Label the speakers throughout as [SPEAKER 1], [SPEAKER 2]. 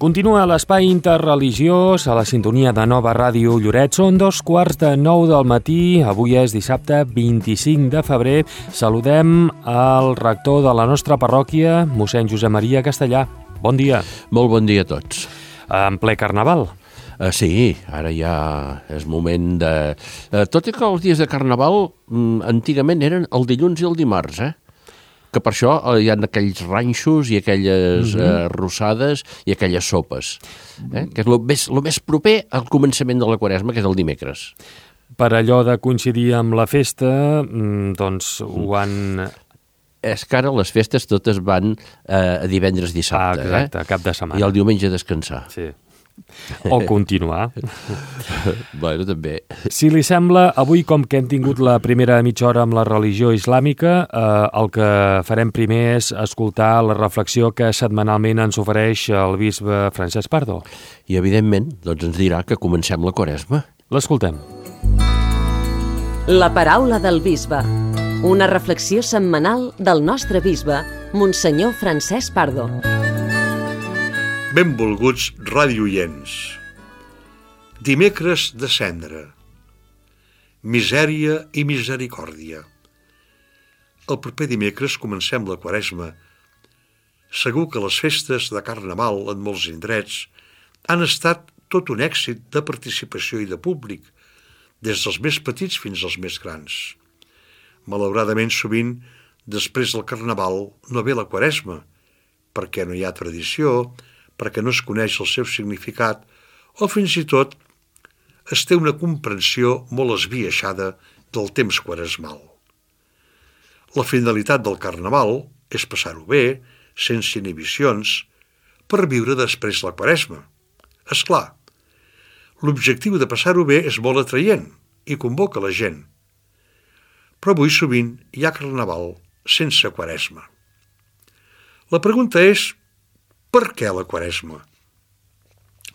[SPEAKER 1] Continua l'espai interreligiós a la sintonia de Nova Ràdio Lloret. Són 2:15 del matí. Avui és dissabte 25 de febrer. Saludem al rector de la nostra parròquia, mossèn Josep Maria Castellà. Bon dia.
[SPEAKER 2] Molt bon dia a tots.
[SPEAKER 1] En ple carnaval.
[SPEAKER 2] Sí, ara ja és moment de... Tot i que els dies de carnaval antigament eren el dilluns i el dimarts, que per això hi ha aquells ranxos i aquelles rossades i aquelles sopes, que és el més proper al començament de la Quaresma, que és el dimecres.
[SPEAKER 1] Per allò de coincidir amb la festa, doncs ho han...
[SPEAKER 2] És que ara les festes totes van a divendres dissabte.
[SPEAKER 1] Exacte, cap de setmana.
[SPEAKER 2] I el diumenge a descansar.
[SPEAKER 1] Sí. O continuar.
[SPEAKER 2] Bueno, també.
[SPEAKER 1] Si li sembla, avui, com que hem tingut la primera mitja hora amb la religió islàmica, el que farem primer és escoltar la reflexió que setmanalment ens ofereix el bisbe Francesc Pardo.
[SPEAKER 2] I, evidentment, doncs ens dirà que comencem la Quaresma.
[SPEAKER 1] L'escoltem.
[SPEAKER 3] La paraula del bisbe. Una reflexió setmanal del nostre bisbe, Monsenyor Francesc Pardo.
[SPEAKER 4] Benvolguts radioients. Dimecres de Cendra. Misèria i misericòrdia. El proper dimecres comencem la Quaresma. Segur que les festes de Carnaval en molts indrets han estat tot un èxit de participació i de públic, des dels més petits fins als més grans. Malauradament, sovint, després del Carnaval no ve la Quaresma, perquè no hi ha tradició, perquè no es coneix el seu significat, o fins i tot es té una comprensió molt esbiaixada del temps quaresmal. La finalitat del Carnaval és passar-ho bé, sense inhibicions, per viure després la Quaresma. És clar, l'objectiu de passar-ho bé és molt atraient i convoca la gent. Però avui sovint hi ha Carnaval sense Quaresma. La pregunta és: per què la Quaresma?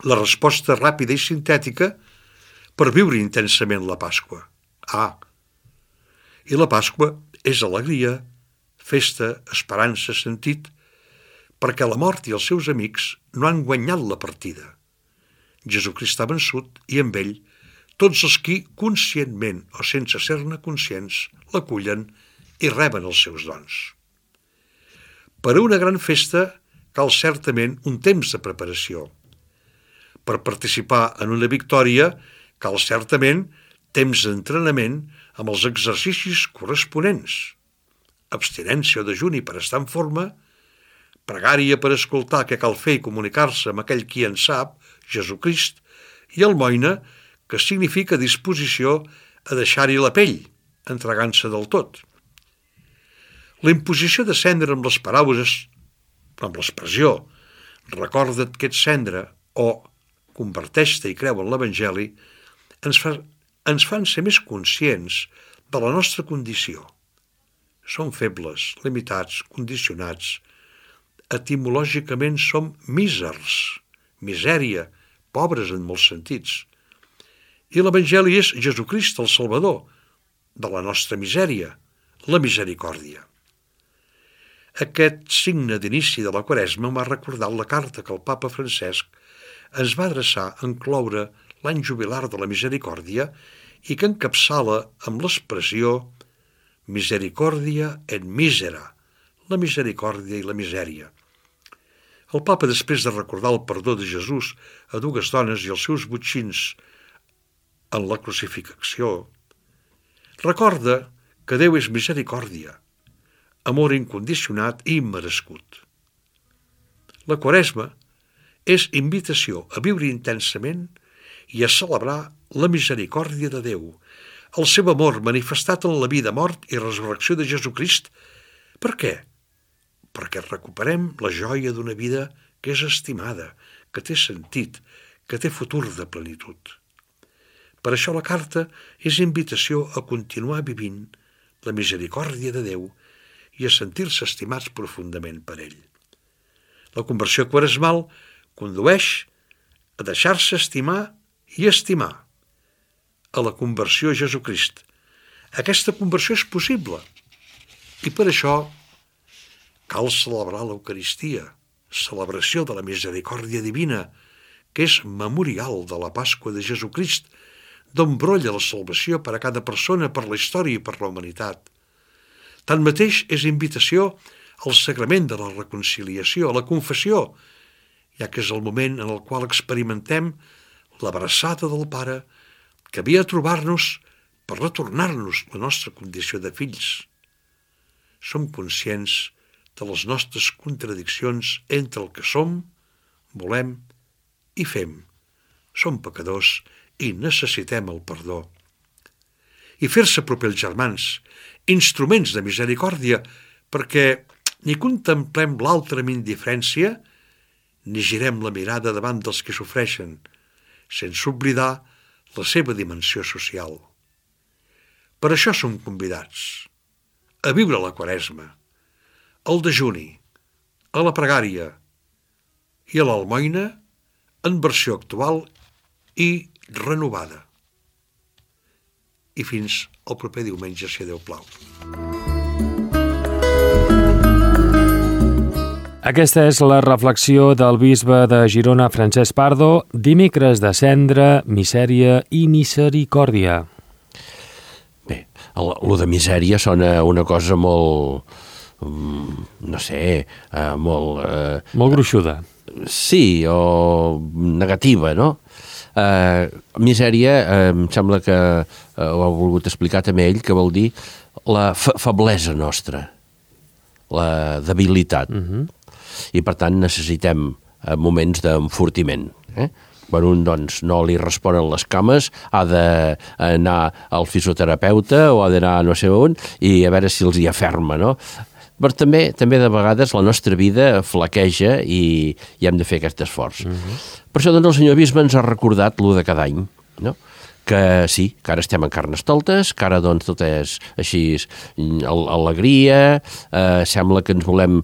[SPEAKER 4] La resposta ràpida i sintètica: per viure intensament la Pasqua. I la Pasqua és alegria, festa, esperança, sentit, perquè la mort i els seus amics no han guanyat la partida. Jesucrist ha vençut i amb ell tots els qui, conscientment o sense ser-ne conscients, l'acullen i reben els seus dons. Per a una gran festa cal certament un temps de preparació. Per participar en una victòria cal certament temps d'entrenament amb els exercicis corresponents. Abstinència o dejuni per estar en forma, pregària per escoltar què cal fer i comunicar-se amb aquell qui en sap, Jesucrist, i almoina, que significa disposició a deixar-hi la pell, entregant-se del tot. La imposició de cendra amb les paraules, amb l'expressió «recorda't que ets cendra» o «converteix-te i creu en l'Evangeli», ens fan ser més conscients de la nostra condició. Som febles, limitats, condicionats. Etimològicament som mísers, misèria, pobres en molts sentits. I l'Evangeli és Jesucrist, el Salvador, de la nostra misèria, la misericòrdia. Aquest signe d'inici de la Quaresma m'ha recordat la carta que el papa Francesc ens va adreçar en cloure l'any jubilar de la misericòrdia i que encapçala amb l'expressió Misericòrdia et misera, la misericòrdia i la misèria. El papa, després de recordar el perdó de Jesús a dues dones i els seus botxins en la crucifixió, recorda que Déu és misericòrdia, amor incondicionat i immerescut. La Quaresma és invitació a viure intensament i a celebrar la misericòrdia de Déu, el seu amor manifestat en la vida, mort i resurrecció de Jesucrist. Per què? Perquè recuperem la joia d'una vida que és estimada, que té sentit, que té futur de plenitud. Per això la carta és invitació a continuar vivint la misericòrdia de Déu i a sentir-se estimats profundament per ell. La conversió quaresmal condueix a deixar-se estimar i estimar, a la conversió a Jesucrist. Aquesta conversió és possible i per això cal celebrar l'Eucaristia, celebració de la misericòrdia divina, que és memorial de la Pasqua de Jesucrist, d'on brolla la salvació per a cada persona, per la història i per la humanitat. Tanmateix, és invitació al sagrament de la reconciliació, a la confessió, ja que és el moment en el qual experimentem l'abraçada del Pare que havia a trobar-nos per retornar-nos la nostra condició de fills. Som conscients de les nostres contradiccions entre el que som, volem i fem. Som pecadors i necessitem el perdó. I fer-se proper als germans, instruments de misericòrdia, perquè ni contemplem l'altre amb indiferència, ni girem la mirada davant dels que sofreixen, sense oblidar la seva dimensió social. Per això som convidats a viure la Quaresma, al dejuni, a la pregària i a l'almoina en versió actual i renovada. I fins al proper diumenge, si Déu plau.
[SPEAKER 1] Aquesta és la reflexió del bisbe de Girona, Francesc Pardo, dimecres de Cendra, misèria i misericòrdia.
[SPEAKER 2] Bé, lo de misèria sona una cosa molt, no sé, molt...
[SPEAKER 1] Molt gruixuda.
[SPEAKER 2] Sí, o negativa, no? Misèria, em sembla que ho ha volgut explicar també ell, que vol dir la feblesa nostra, la debilitat. I per tant necessitem moments d'enfortiment. Quan un doncs, no li responen les cames, ha d'anar al fisioterapeuta o ha d'anar no sé on i a veure si els hi aferma, no? Però també de vegades la nostra vida flaqueja i hem de fer aquest esforç. Per això doncs, el senyor bisbe ens ha recordat lo de cada any, no? Que sí, que ara estem en Carnestoltes, que ara doncs, tot és així alegria, sembla que ens volem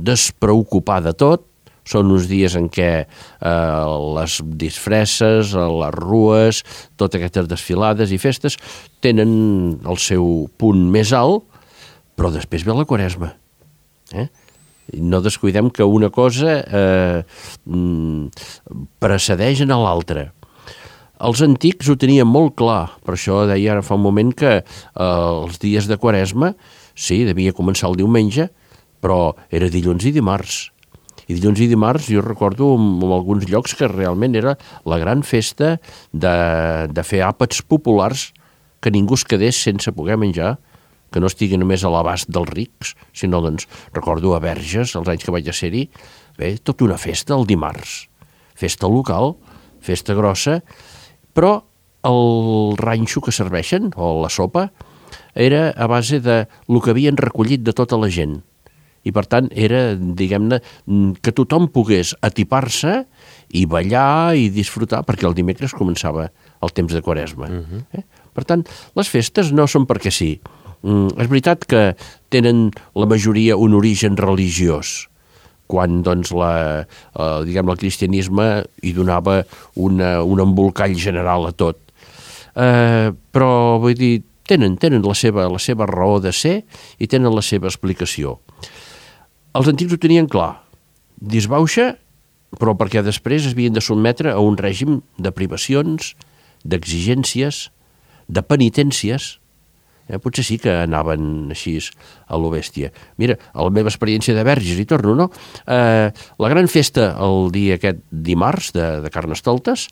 [SPEAKER 2] despreocupar de tot. Són uns dies en què les disfresses, les rues, totes aquestes desfilades i festes tenen el seu punt més alt, però després ve la Quaresma. No descuidem que una cosa precedeix a l'altra. Els antics ho tenien molt clar, per això deia ara fa un moment que els dies de Quaresma, sí, devia començar el diumenge, però era dilluns i dimarts. I dilluns i dimarts jo recordo en alguns llocs que realment era la gran festa de fer àpats populars, que ningú es quedés sense poder menjar, que no estigui només a l'abast dels rics, sinó, doncs, recordo a Verges, els anys que vaig ser-hi, bé, tota una festa el dimarts. Festa local, festa grossa, però el ranxo que serveixen, o la sopa, era a base de lo que havien recollit de tota la gent. I, per tant, era, diguem-ne, que tothom pogués atipar-se i ballar i disfrutar, perquè el dimecres començava el temps de Quaresma. Per tant, les festes no són perquè sí. És veritat que tenen la majoria un origen religiós, quan doncs, el cristianisme hi donava un embolcall general a tot. Però, vull dir, tenen la seva raó de ser i tenen la seva explicació. Els antics ho tenien clar, disbauxa, però perquè després es havien de sotmetre a un règim de privacions, d'exigències, de penitències. Potser sí que anaven així a lo bèstia. Mira, a la meva experiència de Verges, hi torno, no? La gran festa el dia aquest dimarts de Carnestoltes,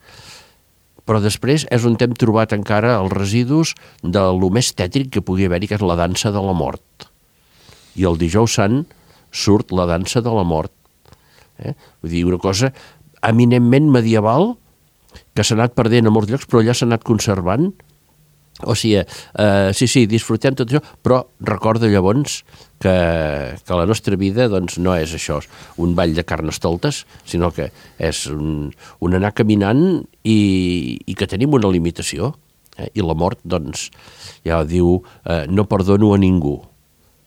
[SPEAKER 2] però després és on hem trobat encara els residus de lo més tètric que pugui haver-hi, que és la dansa de la mort. I el dijous sant surt la dansa de la mort. Vull dir, una cosa eminentment medieval que s'ha anat perdent a molts llocs, però allà s'ha anat conservant. O sigui, sí, disfrutem tot això, però recorda llavors que la nostra vida doncs, no és això, un ball de Carnestoltes, sinó que és un anar caminant i que tenim una limitació. I la mort, doncs, ja diu, no perdono a ningú.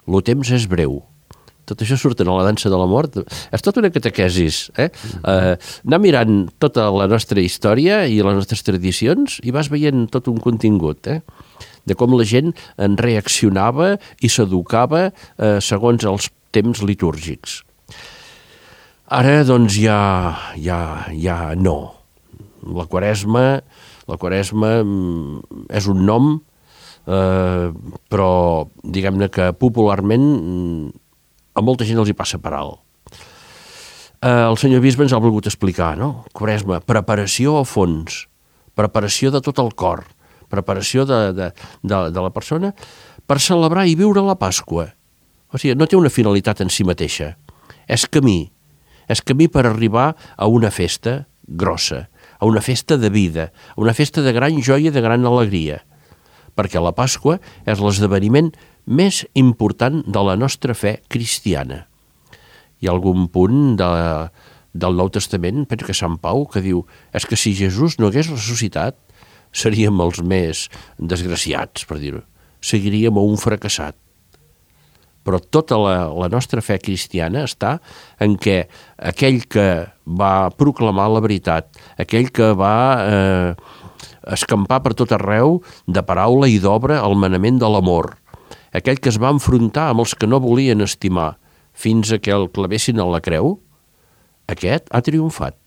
[SPEAKER 2] Lo temps és breu. Tot això surt a la dansa de la mort. És tota una catequesis. Anar mirant tota la nostra història i les nostres tradicions i vas veient tot un contingut, de com la gent en reaccionava i s'educava segons els temps litúrgics. Ara, doncs, ja no. La Quaresma és un nom, però diguem-ne que popularment a molta gent els hi passa per alt. El senyor bisbe ens ha volgut explicar, no? Quaresma, preparació a fons, preparació de tot el cor, preparació de la persona per celebrar i viure la Pasqua. O sigui, no té una finalitat en si mateixa, és camí per arribar a una festa grossa, a una festa de vida, a una festa de gran joia, de gran alegria, perquè la Pasqua és l'esdeveniment més important de la nostra fe cristiana. Hi ha algun punt del Nou Testament, penso que Sant Pau, que diu és que si Jesús no hagués ressuscitat seríem els més desgraciats, per dir-ho. Seguiríem un fracassat. Però tota la nostra fe cristiana està en què aquell que va proclamar la veritat, aquell que va escampar per tot arreu de paraula i d'obra el manament de l'amor, aquell que es va enfrontar amb els que no volien estimar fins a que el clavessin a la creu, aquest ha triomfat,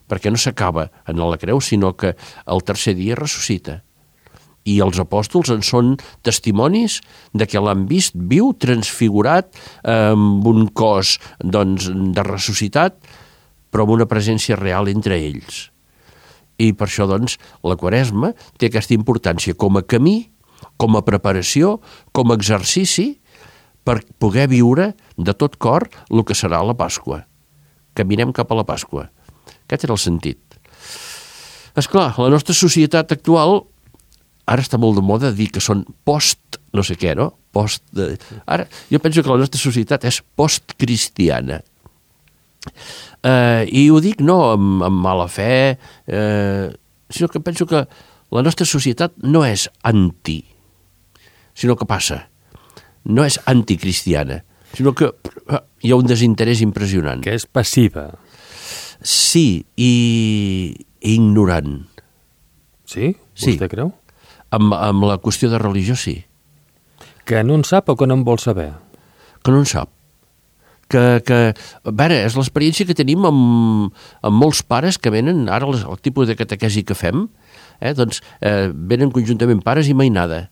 [SPEAKER 2] perquè no s'acaba en la creu, sinó que el tercer dia ressuscita. I els apòstols en són testimonis de que l'han vist viu, transfigurat, amb un cos doncs, de ressuscitat, però amb una presència real entre ells. I per això doncs, la Quaresma té aquesta importància com a camí, com a preparació, com a exercici, per poder viure de tot cor el que serà la Pasqua. Caminem cap a la Pasqua. Aquest era el sentit. Esclar, la nostra societat actual ara està molt de moda dir que són post no sé què, no? Ara, jo penso que la nostra societat és postcristiana. I ho dic no amb mala fe, sinó que penso que la nostra societat no és anti, sinó que passa. No és anticristiana, sinó que hi ha un desinterès impressionant.
[SPEAKER 1] Que és passiva.
[SPEAKER 2] Sí, i ignorant.
[SPEAKER 1] Sí? Vostè creu?
[SPEAKER 2] Amb la qüestió de religió, sí.
[SPEAKER 1] Que no en sap o que no en vol saber?
[SPEAKER 2] Que no en sap. A veure, és l'experiència que tenim amb molts pares que venen, ara el tipus de catequesi que fem, doncs venen conjuntament pares i mainada.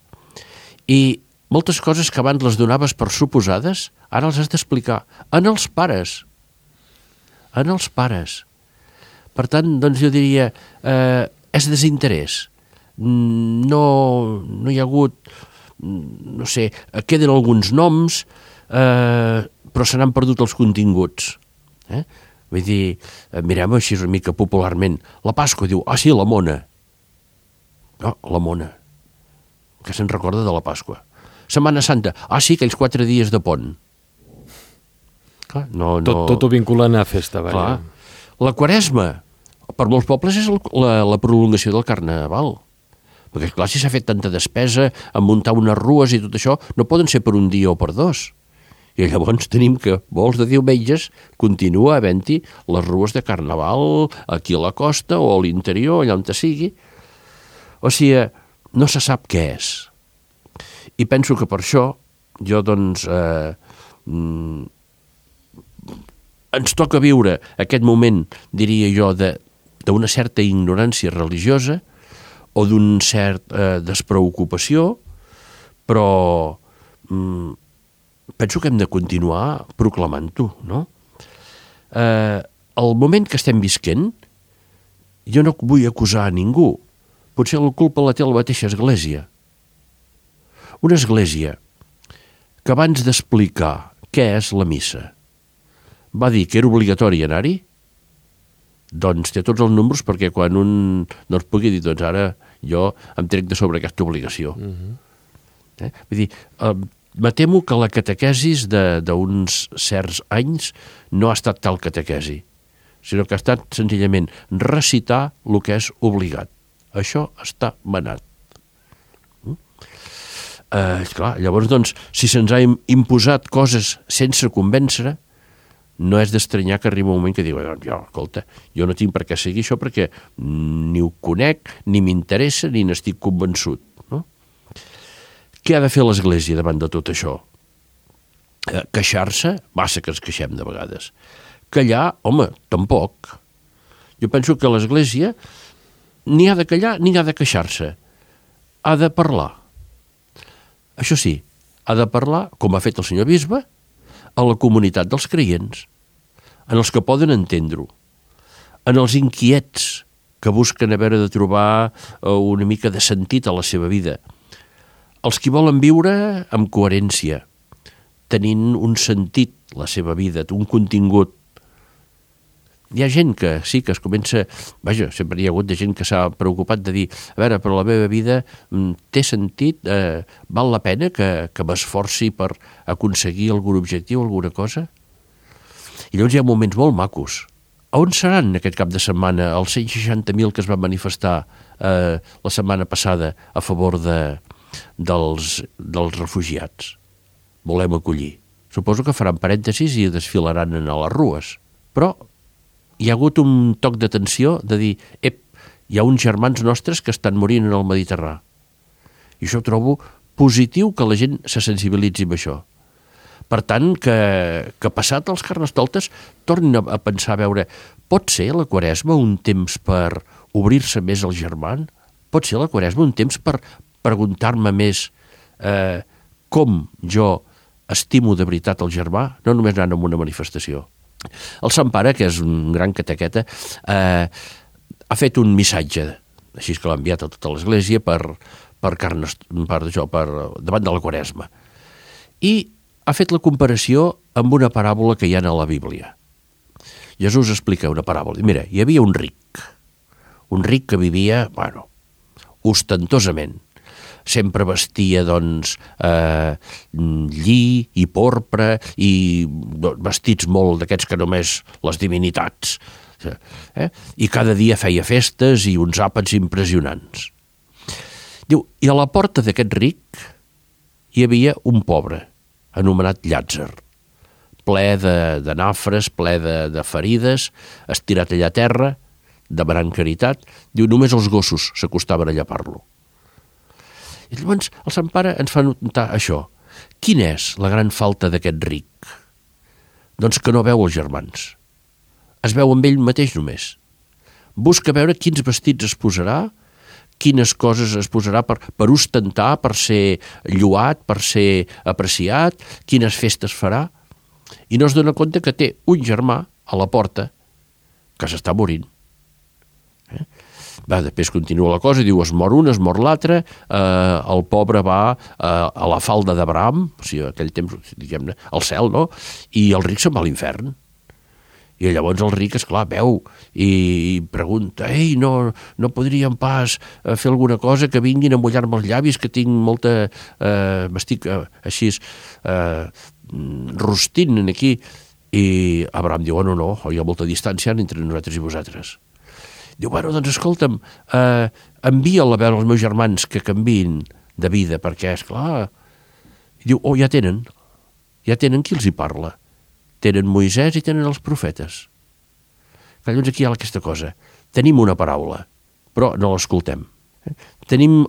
[SPEAKER 2] I moltes coses que abans les donaves per suposades, ara els has d'explicar. En els pares. Per tant, doncs jo diria, és desinterès. No hi ha hagut, no sé, queden alguns noms, però se n'han perdut els continguts. Vull dir, mirem així una mica popularment, la Pasqua diu, sí, la mona. No, la mona, que se'n recorda de la Pasqua. Setmana Santa, sí, aquells 4 dies de pont. Clar,
[SPEAKER 1] Tot ho vinculen a festa, vaja.
[SPEAKER 2] Clar. La Quaresma, per molts pobles és la prolongació del Carnaval. Perquè, clar, si s'ha fet tanta despesa en muntar unes rues i tot això, no poden ser per un dia o per 2. I llavors tenim que molts de diumenges continua havent-hi les rues de Carnaval aquí a la costa o a l'interior, allà on sigui. O sigui, no se sap què és. I penso que per això jo, doncs, ens toca viure aquest moment, diria jo, d'una certa ignorància religiosa o d'un cert despreocupació, però penso que hem de continuar proclamant-ho, no? El moment que estem visquent, jo no vull acusar a ningú, potser la culpa la té la mateixa Església. Una Església que abans d'explicar què és la missa va dir que era obligatori anar-hi, doncs té tots els números perquè quan un no es pugui dir, doncs ara jo em trec de sobre aquesta obligació. Vull dir, me temo que la catequesis d'uns certs anys no ha estat tal catequesi, sinó que ha estat senzillament recitar el que és obligat. Això està manat. Clar, llavors, doncs, si se'ns ha imposat coses sense convèncer, no és d'estranyar que arriba un moment que diu, escolta, jo no tinc per què seguir això perquè ni ho conec, ni m'interessa, ni n'estic convençut. No? Què ha de fer l'Església davant de tot això? Queixar-se? Massa que ens queixem de vegades. Callar, home, tampoc. Jo penso que l'Església ni ha de callar ni ha de queixar-se. Ha de parlar. Això sí, ha de parlar, com ha fet el senyor bisbe, a la comunitat dels creients, en els que poden entendre-ho, en els inquiets que busquen a veure de trobar una mica de sentit a la seva vida, els qui volen viure amb coherència, tenint un sentit la seva vida, un contingut. Hi ha gent que sí, que es comença... Vaja, sempre hi ha hagut de gent que s'ha preocupat de dir a veure, però la meva vida té sentit, val la pena que m'esforci per aconseguir algun objectiu, alguna cosa? I llavors hi ha moments molt macos. A on seran aquest cap de setmana els 160.000 que es van manifestar la setmana passada a favor dels refugiats? Volem acollir. Suposo que faran parèntesis i desfilaran a les rues. Però hi ha hagut un toc d'atenció de dir hi ha uns germans nostres que estan morint en el Mediterrani. I això trobo positiu que la gent se sensibilitzi amb això. Per tant, que passat els Carnestoltes tornin a pensar, a veure, pot ser la Quaresma un temps per obrir-se més al germà? Pot ser la Quaresma un temps per preguntar-me més com jo estimo de veritat el germà, no només anant a una manifestació. El Sant Pare, que és un gran catequeta, ha fet un missatge, així que l'ha enviat a tota l'Església davant de la Quaresma. I ha fet la comparació amb una paràbola que hi ha a la Bíblia. Jesús explica una paràbola. Mira, hi havia un ric que vivia, ostentosament. Sempre vestia, lli i porpra i vestits molt d'aquests que només les divinitats. I cada dia feia festes i uns àpats impressionants. Diu, i a la porta d'aquest ric hi havia un pobre, anomenat Llàtzer, ple de nafres, ple de ferides, estirat allà a terra, demanant caritat. Diu, només els gossos s'acostaven a llepar-lo. I llavors el Sant Pare ens fa notar això. Quina és la gran falta d'aquest ric? Doncs que no veu els germans. Es veu amb ell mateix només. Busca veure quins vestits es posarà, quines coses es posarà per ostentar, per ser lloat, per ser apreciat, quines festes farà, i no es dona compte que té un germà a la porta que s'està morint. Després continua la cosa, diu, es mor un, es mor l'altre, el pobre va a la falda d'Abraham, o sigui, aquell temps, diguem-ne, al cel, no? I el ric se'n va a l'infern. I llavors el ric, esclar, veu i pregunta, no podríem pas fer alguna cosa que vinguin a mullar-me els llavis, que tinc molta... m'estic així rostint aquí. I Abraham diu, no, hi ha molta distància entre nosaltres i vosaltres. Diu, doncs escolta'm, envia'l a veure els meus germans que canviïn de vida, perquè, esclar... I diu, ja tenen qui els hi parla. Tenen Moisès i tenen els profetes. Llavors aquí hi ha aquesta cosa. Tenim una paraula, però no l'escoltem. Tenim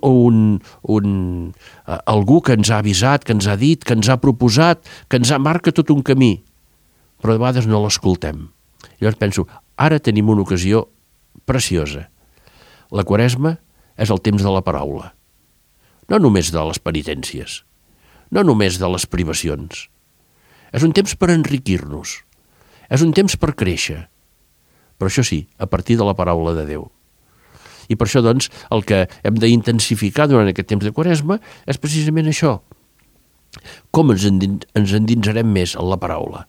[SPEAKER 2] algú que ens ha avisat, que ens ha dit, que ens ha proposat, que ens marca tot un camí, però de vegades no l'escoltem. Llavors penso, ara tenim una ocasió preciosa. La Quaresma és el temps de la paraula. No només de les penitències, no només de les privacions. És un temps per enriquir-nos. És un temps per créixer. Però això sí, a partir de la paraula de Déu. I per això, doncs, el que hem d'intensificar durant aquest temps de Quaresma és precisament això. Com ens endinsarem més en la paraula?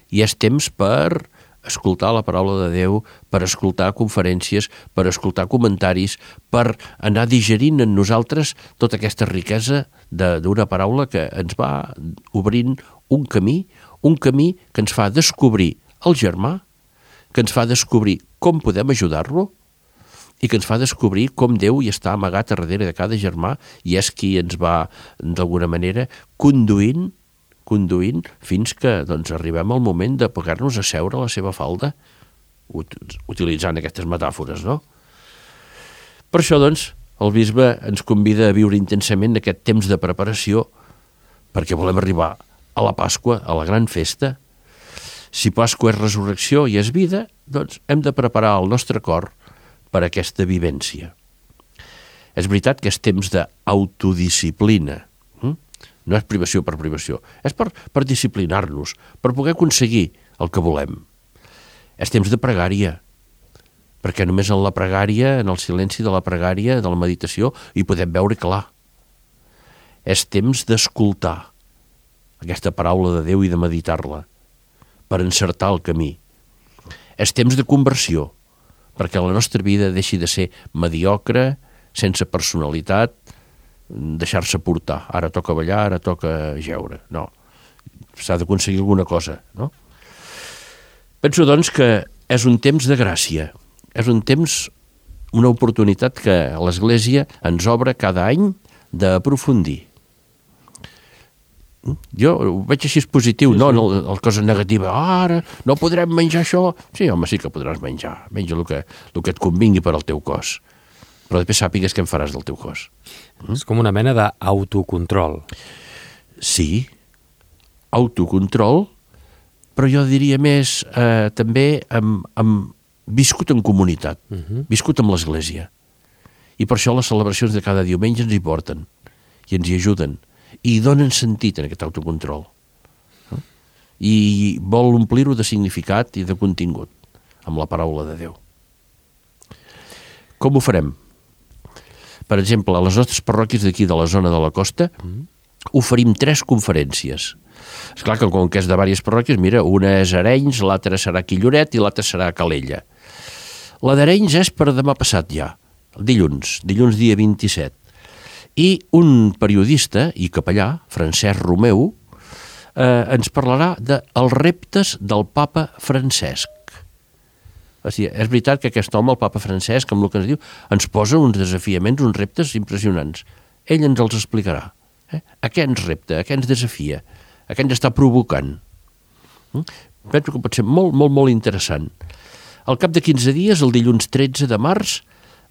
[SPEAKER 2] I és temps per escoltar la paraula de Déu, per escoltar conferències, per escoltar comentaris, per anar digerint en nosaltres tota aquesta riquesa d'una paraula que ens va obrint un camí que ens fa descobrir el germà, que ens fa descobrir com podem ajudar-lo i que ens fa descobrir com Déu hi està amagat a darrere de cada germà i és qui ens va, d'alguna manera, conduint fins que arribem al moment de poder-nos asseure a la seva falda, utilitzant aquestes metàfores, no? Per això, el bisbe ens convida a viure intensament aquest temps de preparació perquè volem arribar a la Pasqua, a la gran festa, Si Pasqua és resurrecció i és vida, doncs hem de preparar el nostre cor per a aquesta vivència. És veritat que és temps d'autodisciplina. No és privació per privació. És per disciplinar-nos, per poder aconseguir el que volem. És temps de pregària, perquè només en la pregària, en el silenci de la pregària, de la meditació, hi podem veure clar. És temps d'escoltar aquesta paraula de Déu i de meditar-la, per encertar el camí. És temps de conversió, perquè la nostra vida deixi de ser mediocre, sense personalitat, deixar-se portar. Ara toca ballar, ara toca jeure. No, s'ha d'aconseguir alguna cosa, no? Penso, doncs, que és un temps de gràcia, és un temps, una oportunitat que l'Església ens obre cada any d'aprofundir. Jo ho veig així positiu, sí, no la cosa negativa. Ara no podrem menjar això. Sí, home, sí que podràs menjar. Menja el que et convingui per al teu cos. Però després sàpigues què en faràs del teu cos.
[SPEAKER 1] És com una mena d'autocontrol.
[SPEAKER 2] Sí, autocontrol, però jo diria més també viscut en comunitat, viscut amb l'Església. I per això les celebracions de cada diumenge ens hi porten i ens hi ajuden i donen sentit en aquest autocontrol. I vol omplir-ho de significat i de contingut amb la paraula de Déu. Com ho farem? Per exemple, a les nostres parròquies d'aquí de la zona de la costa oferim 3 conferències. Esclar que com que és de diverses parròquies, mira, una és a Arenys, l'altra serà aquí a Lloret i l'altra serà a Calella. La d'Arenys és per demà passat ja, dilluns dia 27. I un periodista i capellà, Francesc Romeu, ens parlarà dels reptes del papa Francesc. O sigui, és veritat que aquest home, el papa Francesc, amb el que ens diu, ens posa uns desafiaments, uns reptes impressionants. Ell ens els explicarà. A què ens repta, a què ens desafia, a què ens està provocant. Penso que pot ser molt, molt, molt interessant. Al cap de 15 dies, el dilluns 13 de març,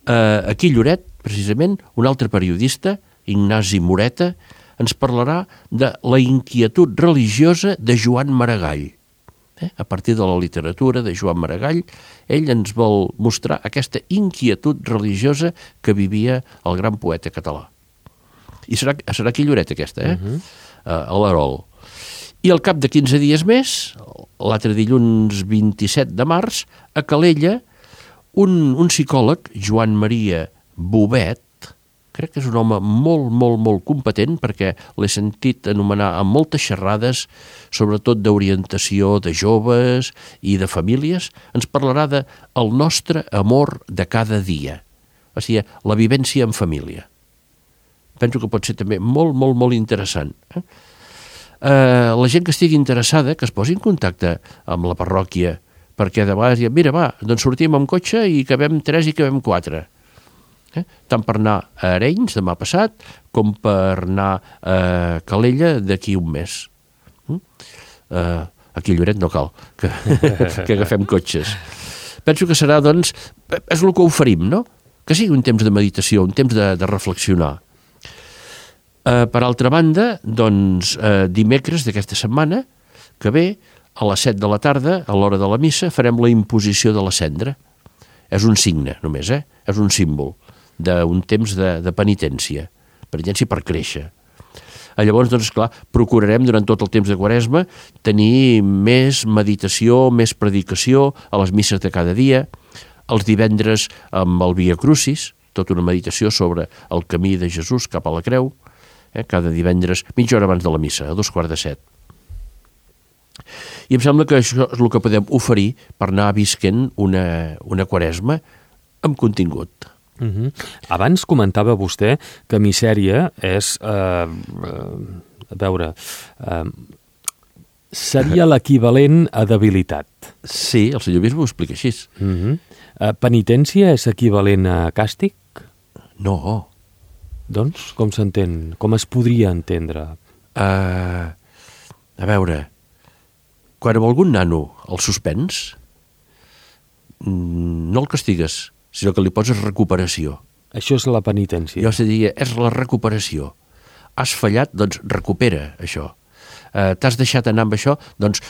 [SPEAKER 2] aquí a Lloret, precisament, un altre periodista, Ignasi Moreta, ens parlarà de la inquietud religiosa de Joan Maragall. A partir de la literatura de Joan Maragall, ell ens vol mostrar aquesta inquietud religiosa que vivia el gran poeta català. I serà aquí a Lloret aquesta, a l'Arol. I al cap de 15 dies més, l'altre dilluns 27 de març, a Calella, un psicòleg, Joan Maria Bobet, crec que és un home molt, molt, molt competent perquè l'he sentit anomenar amb moltes xerrades, sobretot d'orientació de joves i de famílies, ens parlarà del nostre amor de cada dia, o sigui, la vivència en família. Penso que pot ser també molt, molt, molt interessant. La gent que estigui interessada, que es posi en contacte amb la parròquia, perquè de vegades diuen, mira, va, doncs sortim amb cotxe i cabem 3 i cabem 4. Tant per anar a Arenys demà passat com per anar a Calella d'aquí un mes. Aquí a Lloret no cal que agafem cotxes. Penso que serà, doncs, és el que oferim, no? Que sigui un temps de meditació, un temps de reflexionar. Per altra banda, doncs, dimecres d'aquesta setmana que ve, a les 7 de la tarda, a l'hora de la missa, farem la imposició de la cendra. És un signe, només, és un símbol d'un temps de penitència per créixer. Llavors, doncs, clar, procurarem durant tot el temps de Quaresma tenir més meditació, més predicació a les misses de cada dia, els divendres amb el Via Crucis, tota una meditació sobre el camí de Jesús cap a la creu, cada divendres, mitja hora abans de la missa, a 6:45. I em sembla que això és el que podem oferir per anar visquent una Quaresma amb contingut.
[SPEAKER 1] Abans comentava vostè que misèria és, seria l'equivalent a debilitat.
[SPEAKER 2] Sí, el senyor bisbe ho explica així.
[SPEAKER 1] Penitència és equivalent a càstig?
[SPEAKER 2] No.
[SPEAKER 1] Doncs, com s'entén? Com es podria entendre?
[SPEAKER 2] A veure, quan amb algun nano el suspens, no el castigues, sinó que li poses recuperació.
[SPEAKER 1] Això és la penitència.
[SPEAKER 2] Jo diria, és la recuperació. Has fallat, doncs recupera això. t'has deixat anar amb això, doncs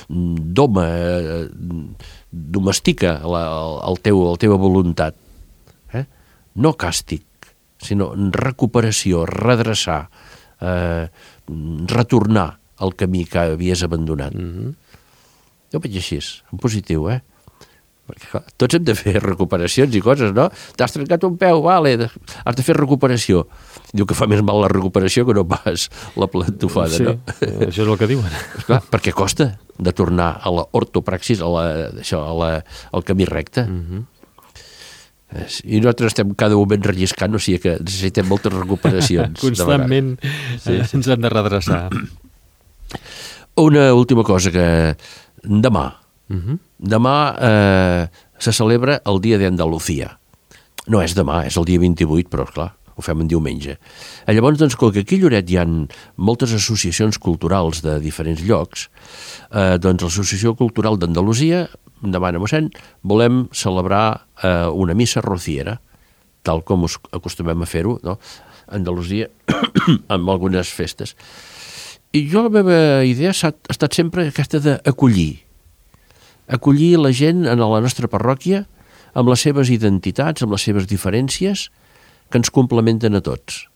[SPEAKER 2] domestica la teva voluntat. No càstig, sinó recuperació, redreçar, retornar al camí que havies abandonat. Jo veig així, en positiu, Perquè, clar, tots hem de fer recuperacions i coses, no? T'has trencat un peu, vale, has de fer recuperació. Diu que fa més mal la recuperació que no pas la plantofada, no?
[SPEAKER 1] Sí, això és el que diuen.
[SPEAKER 2] Clar, perquè costa de tornar a l'ortopraxis, al camí recte. I nosaltres estem cada moment relliscant, o sigui que necessitem moltes recuperacions.
[SPEAKER 1] Constantment ens han de redreçar.
[SPEAKER 2] Una última cosa, que demà se celebra el Dia d'Andalucía. No és demà, és el dia 28, però clar, ho fem en diumenge. Llavors, doncs, com que aquí a Lloret hi ha moltes associacions culturals de diferents llocs, doncs l'Associació Cultural d'Andalusia demana, mossèn, volem celebrar una missa rociera, tal com acostumem a fer-ho, no? A Andalusia, amb algunes festes. I jo la meva idea ha estat sempre aquesta d'acollir la gent a la nostra parròquia amb les seves identitats, amb les seves diferències, que ens complementen a tots.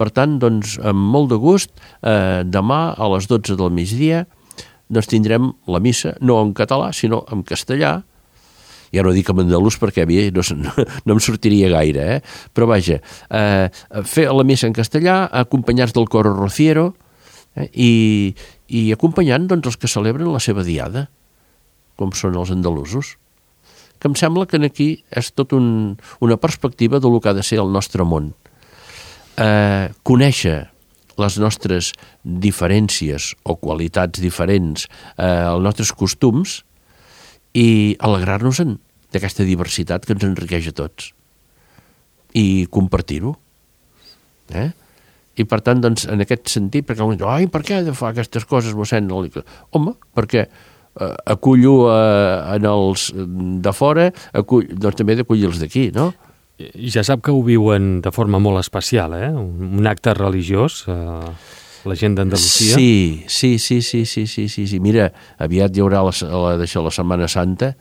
[SPEAKER 2] Per tant, doncs, amb molt de gust, demà a les 12 del migdia doncs tindrem la missa, no en català, sinó en castellà. Ja no dic en andalús perquè a mi no em sortiria gaire, però vaja, fer la missa en castellà, acompanyats del coro rociero, i acompanyant doncs, els que celebren la seva diada, com són els andalusos, que em sembla que aquí és tot una perspectiva del que ha de ser el nostre món. Conèixer les nostres diferències o qualitats diferents, els nostres costums, i alegrar-nos d'aquesta diversitat que ens enriqueix a tots. I compartir-ho. I per tant, doncs, en aquest sentit, perquè algú diu, per què he de fer aquestes coses, mossèn? Home, perquè acullo en els de fora, doncs també he d'acollir els d'aquí, no?
[SPEAKER 1] Ja sap que ho viuen de forma molt especial, un acte religiós, la gent d'Andalusia.
[SPEAKER 2] Sí. Mira, aviat hi haurà la Setmana Santa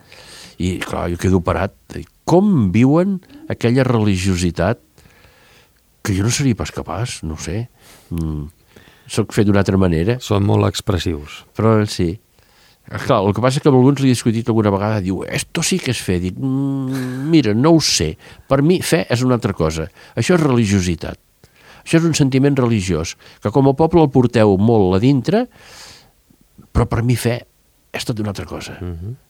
[SPEAKER 2] i, clar, jo quedo parat. Com viuen aquella religiositat que jo no seria pas capaç, no sé. Soc fet d'una altra manera.
[SPEAKER 1] Són molt expressius.
[SPEAKER 2] Però sí. Clar, el que passa és que amb alguns li he discutit alguna vegada, diu, esto sí que és fe. Dic, mira, no ho sé. Per mi, fe és una altra cosa. Això és religiositat. Això és un sentiment religiós, que com a poble el porteu molt a dintre, però per mi fe és tot una altra cosa.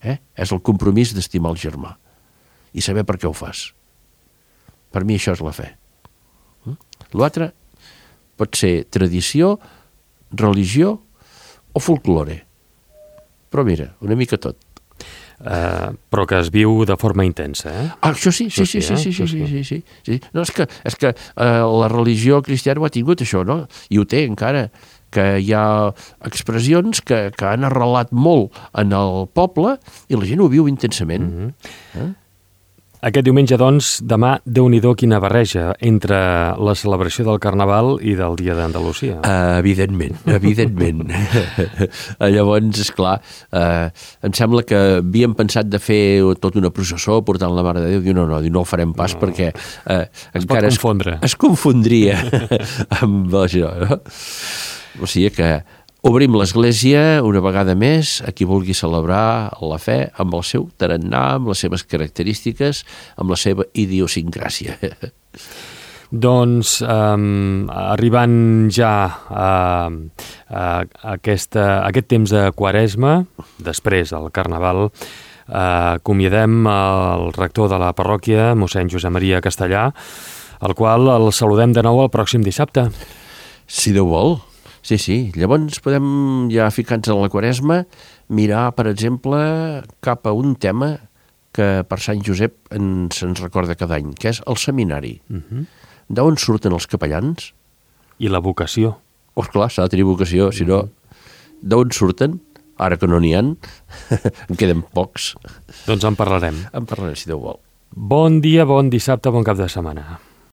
[SPEAKER 2] És el compromís d'estimar el germà i saber per què ho fas. Per mi això és la fe. L'altre pot ser tradició, religió o folklore. Però mira, una mica tot.
[SPEAKER 1] Però que es viu de forma intensa,
[SPEAKER 2] Això sí. No, és que la religió cristiana ho ha tingut, això, no? I ho té encara, que hi ha expressions que han arrelat molt en el poble i la gent ho viu intensament.
[SPEAKER 1] Aquest diumenge, doncs, demà, Déu-n'hi-do quina barreja entre la celebració del Carnaval i del Dia d'Andalusia.
[SPEAKER 2] Evidentment. Llavors, esclar, em sembla que havíem pensat de fer tota una processó portant la Mare de Déu. Diu, no ho farem pas perquè encara es confondria amb això, no? O sigui que obrim l'església una vegada més a qui vulgui celebrar la fe amb el seu tarannà, amb les seves característiques, amb la seva idiosincràsia.
[SPEAKER 1] Doncs, arribant ja a aquest temps de Quaresma, després del Carnaval, acomiadem el rector de la parròquia, mossèn Josep Maria Castellà, el qual el saludem de nou el pròxim dissabte.
[SPEAKER 2] Si Déu vol. Sí. Llavors podem, ja ficats en la Quaresma, mirar, per exemple, cap a un tema que per Sant Josep se'ns recorda cada any, que és el seminari. D'on surten els capellans?
[SPEAKER 1] I la vocació.
[SPEAKER 2] Clar, s'ha de tenir vocació, si no, d'on surten? Ara que no n'hi ha, en queden pocs.
[SPEAKER 1] Doncs en parlarem.
[SPEAKER 2] Si Déu vol.
[SPEAKER 1] Bon dia, bon dissabte, bon cap de setmana.